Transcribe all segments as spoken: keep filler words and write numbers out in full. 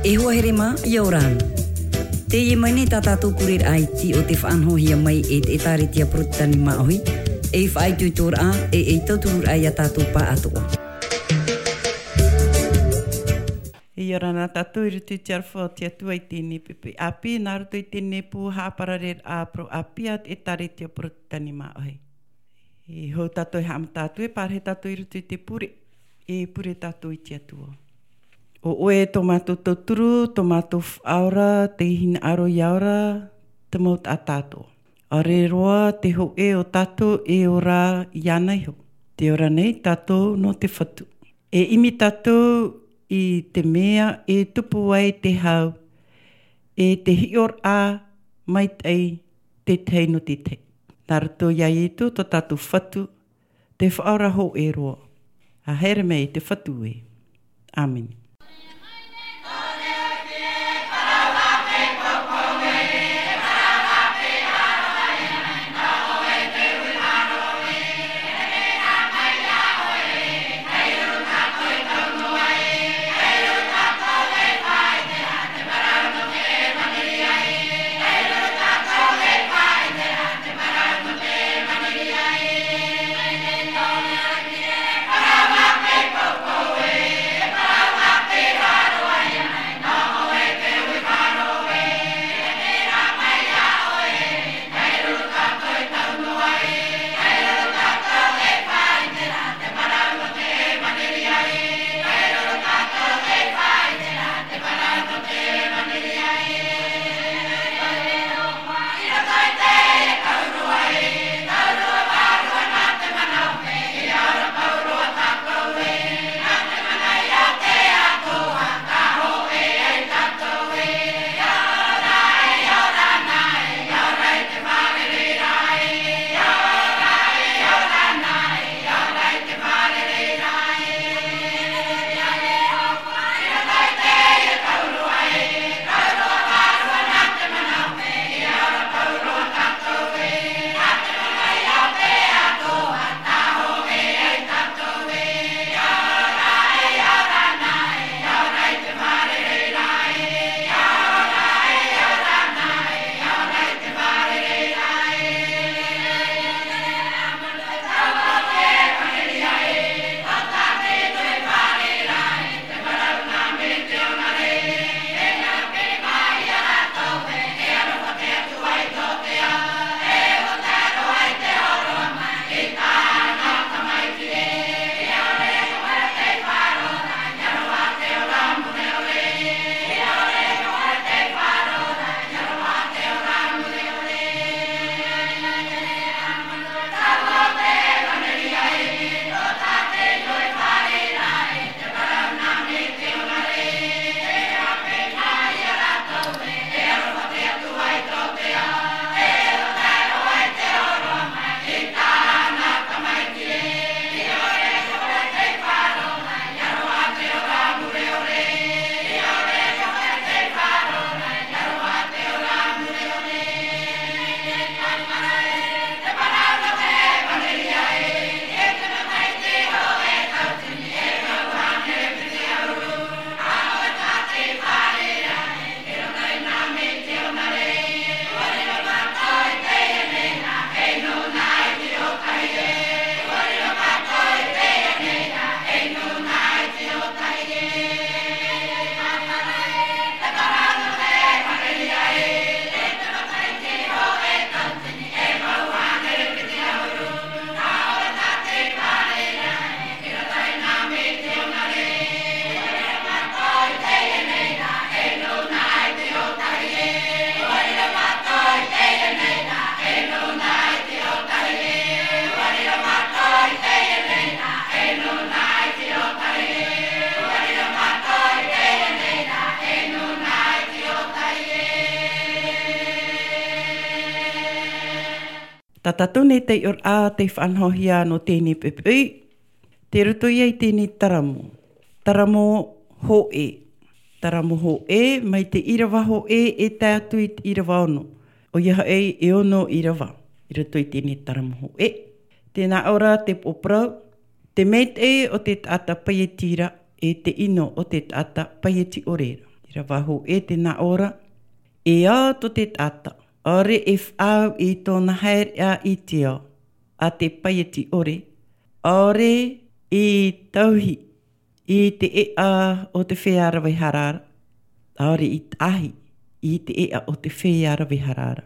E hoa here mā, ʻia ora na. Teie mai nei tā tātou pureraʻa iti o te faʻanahohia mai e te ʻĒtārētia Porotetani Māʻohi, ei faʻaitoitoraʻa, e ei tautururaʻa ia tātou pāʻatoʻa. ʻIa ora na tātou i roto i te aroha o te Atua i teie nei poʻipoʻi ʻāpī, nā roto i teie nei pū haʻaparareraʻa parau ʻāpī a te ʻĒtārētia Porotetani Māʻohi. E hou tātou e haʻamata atu, e pārahi tātou i roto i te pure, e pure tātou i te Atua. ʻO ʻoe tō mātou tauturu, tō mātou faʻaora, te hinaʻaro ʻia ora, te mau taʻata atoʻa. ʻAore roa te hōʻē o tātou e ora iāna iho. Tē ora nei tātou nō te Fatu. E ʻimi tātou i te mea e tupu ai te hau, e te hiʻoraʻa maitaʻi te tahi nō te tahi. Nā roto iā Ietu tō tātou Fatu, te Faʻaora hōʻē roa. ʻA haere mai te Fatu ē. ʻĀmene. Tā tātou nei taiʻoraʻa tei faʻanahohia nō teie poʻipoʻi, tei roto ia i teie taramo. Taramo hōʻē. Taramo hōʻē, mai te ʻīrava hōʻē e tae atu i te ʻīrava ono. ʻOia hoʻi, e ono ʻīrava, i roto i teie taramo hōʻē. Tē nā ʻō ra te upoʻo parau, te maitaʻi o te taʻata paieti ra, e te ʻino o te taʻata paieti ʻore ra. I Rava hōʻē te nā ʻō ra, e ao tō te taʻata, ʻaore e faʻaau i tōna haereʻa i te ao, a te paieti ʻore, ʻaore i tauhi i te ʻeʻa o te feiā rave hara ra, ʻaore i tahi i te ʻeʻa o te feiā rave hara ra.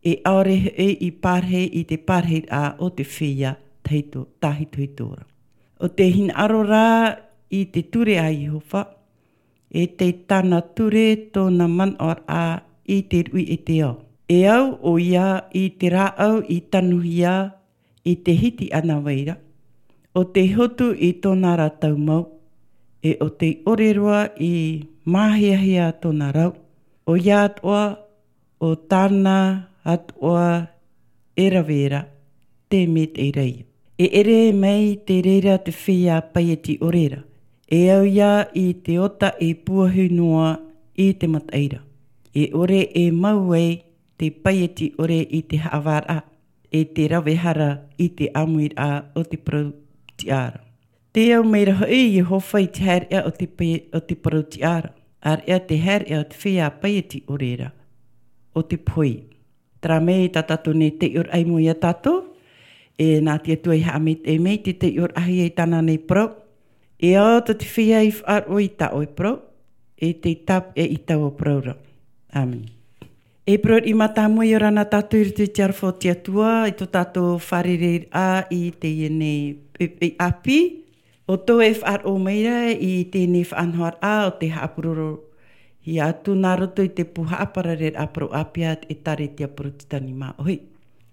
E ʻaore hoʻi i pārahi i te pārahiraʻa o te feiā tahito-, tahitohito ra. ʻO te hinaʻaro rā i te ture a Iehova, e tei tāna ture tōna manaʻoraʻa i te ruʻi e te ao. E au ʻoia i te rāʻau i tanuhia i te hiti ʻana vai ra, ʻo tei hotu i tōna ra taumau, e ʻo tei ʻore roa i māhiahia tōna rau, ʻoia atoʻa ʻo tāna atoʻa e rave ra, te mea tei reira. E ʻere mai te reira te feiā paieti ʻore ra, e au ia i te ota e puahu noa i te mataʻi ra. E ʻore e mau ai te paieti ʻore i te haʻavāraʻa, e te rave hara i te ʻāmuiraʻa o te parau tiʻa ra. Te au mai ra hoʻi Iehova i te haereʻa o te pai-, o te parau tiʻa ra, ʻāreʻa te haereʻa o te feiā paieti ʻore ra, ʻo te pohe. Terā mai tā tātou nei taiʻoraʻa i mua ia tātou, e nā te Atua i haʻamaitaʻi mai te taiʻoraʻahia i tāna nei parau. E ao tō te feiā i faʻaroʻo i tā ʻoe parau, e tei tāpeʻa i taua parau ra. ʻĀmene. E parau riʻi mātāmua, ʻia ora na tātou i roto i te aroha o te Atua, i tō tātou fārereiraʻa i teie nei poʻipoʻi ʻāpī, ʻo tō e faʻaroʻo mai ra i teie nei faʻanahoraʻa ʻo tē haʻapurorohia atu nā roto i te pū haʻaparareraʻa parau ʻĀpī a te ʻĒtārētia Porotetani Māʻohi.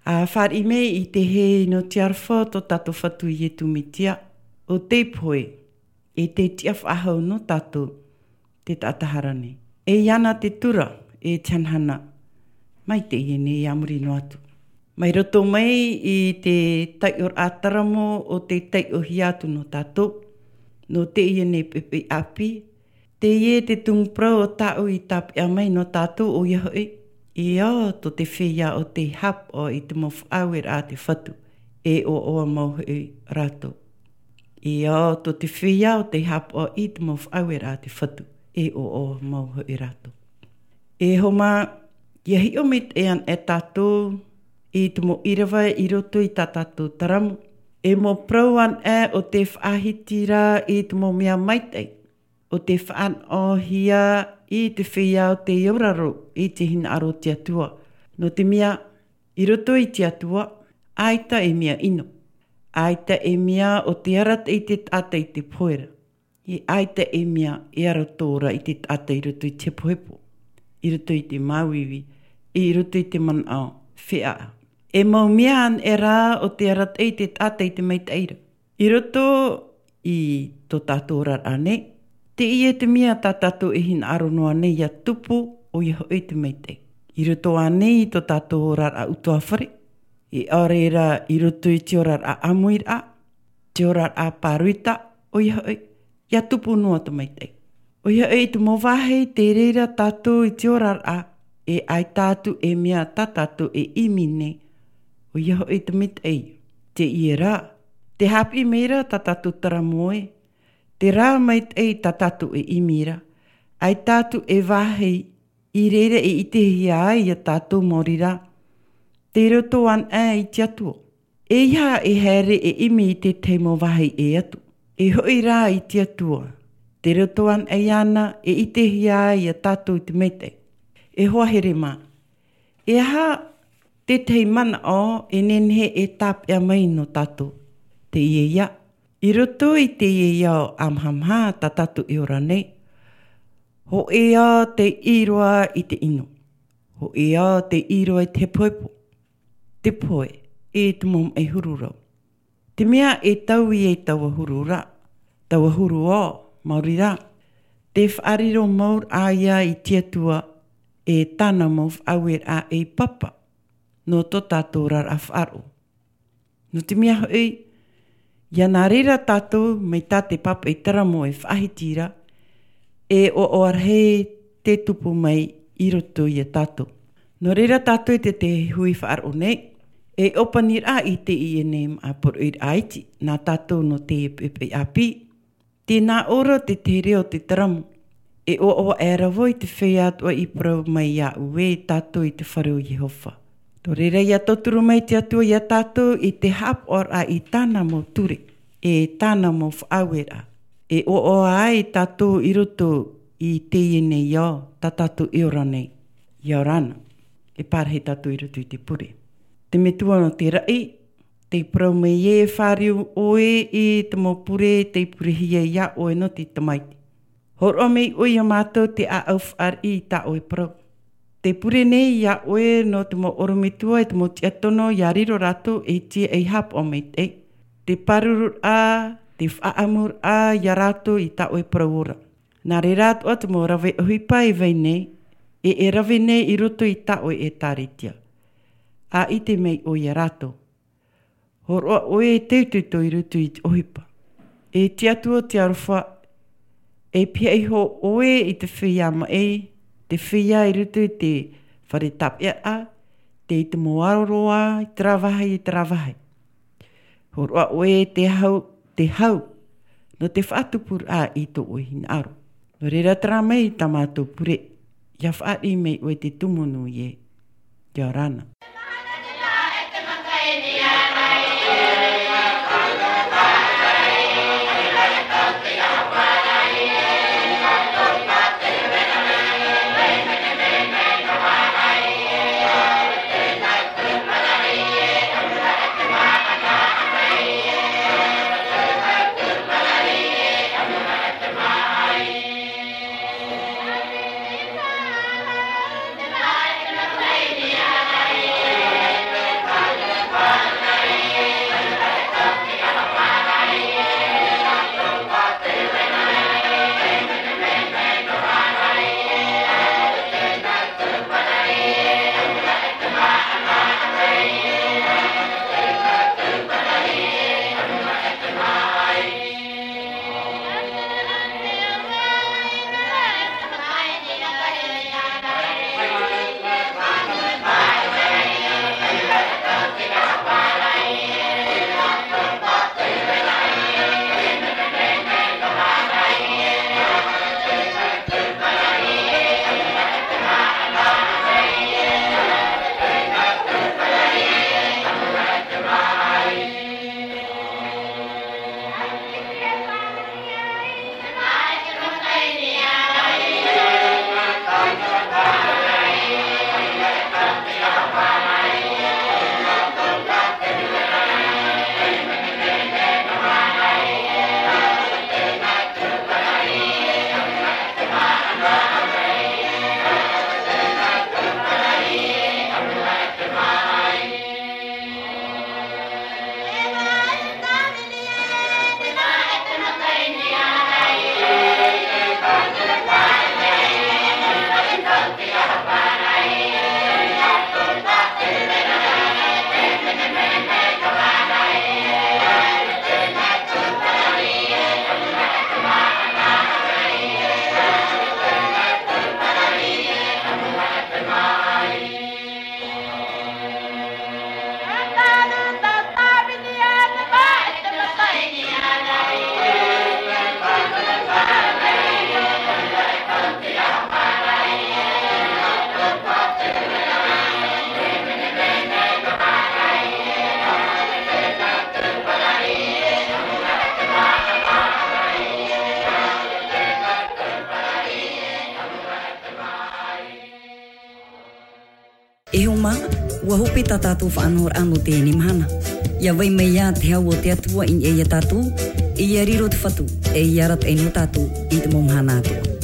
ʻA fāriʻi mai i te hē nō te aroha o tō tātou Fatu Iesu Mesia, ʻo tei pohe, e tei tiʻa faʻahou nō tātou te taʻata hara nei. E iāna te tura, e te hanahana, mai teie nei a muri noa atu. Mai roto mai i te taiʻoraʻa taramo ʻo tē taiʻohia atu nō tātou, nō teie nei poʻipoʻi ʻāpī, teie te tumu parau ʻo tāʻu i tāpeʻa mai nō tātou ʻoia hoʻi, e ao tō te feiā ʻo tei haʻapaʻo i te mau faʻaueraʻa a te Fatu, e ʻoaʻoa mau hoʻi rātou. E ao tō te feiā ʻo tei haʻapaʻo i te mau faʻaueraʻa a te Fatu, e ʻoaʻoa mau hoʻi rātou. E hoa mā, ʻia hiʻo maitaʻi anaʻe tātou i te mau ʻīrava i roto i tā tātou taramo. E mau parau anaʻe ʻo tē faʻahiti ra i te mau mea maitaʻi, ʻo tē faʻanahohia i te feiā ʻo tei auraro i te hinaʻaro o te Atua. Nō te mea, i roto i te Atua, ʻaita e mea ʻino. ʻAita e mea ʻo tē arataʻi i te taʻata i te pohe ra. E ʻaita e mea e arataʻi i te taʻata i roto i te hepohepo, i roto i te māuiui, i roto i te manaʻo feʻaʻa. E mau mea anaʻe rā ʻo tē arataʻi i te taʻata i te maitaʻi ra. I roto i tō tātou oraraʻa nei, teie te mea tā tātou e hinaʻaro noa nei ʻia tupu, ʻoia hoʻi te maitaʻi. I roto ānei i tō tātou oraraʻa ʻutuāfare, e ʻaore rā i roto i te oraraʻa ʻāmuiraʻa, te oraraʻa pāroita, ʻoia hoʻi, ʻia tupu noa te maitaʻi. ʻOia hoʻi, i te mau vāhi tē reira tātou i te oraraʻa, e ʻaita atu e mea tā tātou e ʻimi nei, ʻoia hoʻi te maitaʻi. Teie rā, tē haʻapiʻi mai ra tā tātou taramo ē, terā maitaʻi tā tātou e ʻimi ra, ʻaita atu e vāhi i reira e ʻitehia ai ia tātou maori rā, tei roto anaʻe i te Atua. ʻEiaha e haere e ʻimi i te tahi mau vāhi ʻē atu. E hoʻi rā i te Atua, tei roto anaʻe iāna e ʻitehia ai ia tātou i te maitaʻi. E hoa here mā, e aha te tahi manaʻo e nehenehe e tāpeʻa mai nō tātou? Teie ïa, i roto i teie ao ʻāmahamaha tā tātou e ora nei, hōʻē ao tei ʻī roa i te ʻino. Hōʻē ao tei ʻī roa i te hepohepo, te pohe, e te mau maʻi huru rau. Te mea e taui ai taua huru ra, taua huru ao, maori rā, tē faʻariro mau ra ïa i te Atua, e tāna mau faʻaueraʻa ei papa, nō tō tātou oraraʻa faʻaroʻo. Nō te mea hoʻi, ʻia nā reira tātou mai tā te pāpaʻi taramo e faʻahiti ra, e ʻoaʻoa rahi te tupu mai i roto ia tātou. Nō reira tātou i te, te hui faʻaroʻo nei, e ʻōpaniraʻa i teie nei māʻa poroʻiraʻa iti, nā tātou nō te poʻipoʻi ʻāpī, tē nā ʻō ra te, te reo o te taramo. E ʻoaʻoa aʻera vau i te feiā atoʻa i parau mai iāʻu ē tātou i te fare o Iehova. Nō reira, ʻia tauturu mai te Atua iā tātou i te haʻapaʻoraʻa i tāna mau ture, e tāna mau faʻaueraʻa. E ʻoaʻoa ai tātou i roto i teie nei ao, tā tātou e ora nei. ʻIa ora na. E pārahi tātou i roto i te pure. Te Metua nō te raʻi, tei parau mai ē, e fāriu ʻoe i te mau pure, tei purehia iā ʻoe nō te tamaiti. Hōroʻa mai ʻoe iā mātou te ʻāʻau fāriʻi i tā ʻoe parau. Tē pure nei iā ʻoe nō te mau ʻorometua e te mau tiʻatono, ʻia riro rātou ei tiaʻi haʻapaʻo maitaʻi. Te pārururaʻa, te faʻaʻamuraʻa iā rātou i tā ʻoe parau ora. Nā reira atoʻa te mau rave ʻohipa e vai nei, e, e rave nei i roto i tā ʻoe ʻētāretia. ʻA ʻite mai ʻoe iā rātou. Hōroʻa ʻoe e teuteuto i roto i te ʻohipa. E te Atua o te aroha, e pihaʻi iho ʻoe i te feiā maʻi, te feiā i roto i te fare tāpeʻaraʻa, tei te mau aro roa, i terā vāhi, i terā vāhi. Hōroʻa ʻoe te hau, te hau, nō te faʻatupuraʻa i tō ʻoe hinaʻaro. Nō reira, terā mai tā mātou pure, ʻia fāriʻi mai ʻoe te tumu nui ē. ʻIa ora na. E hoa mā, ʻua hope tā tātou faʻanahoraʻa nō teie mahana. ʻIa vai mai ā te hau o te Atua i niʻa ia tātou, e ʻia riro te Fatu, e ʻia arataʻi nō tātou i te mau mahana atoʻa.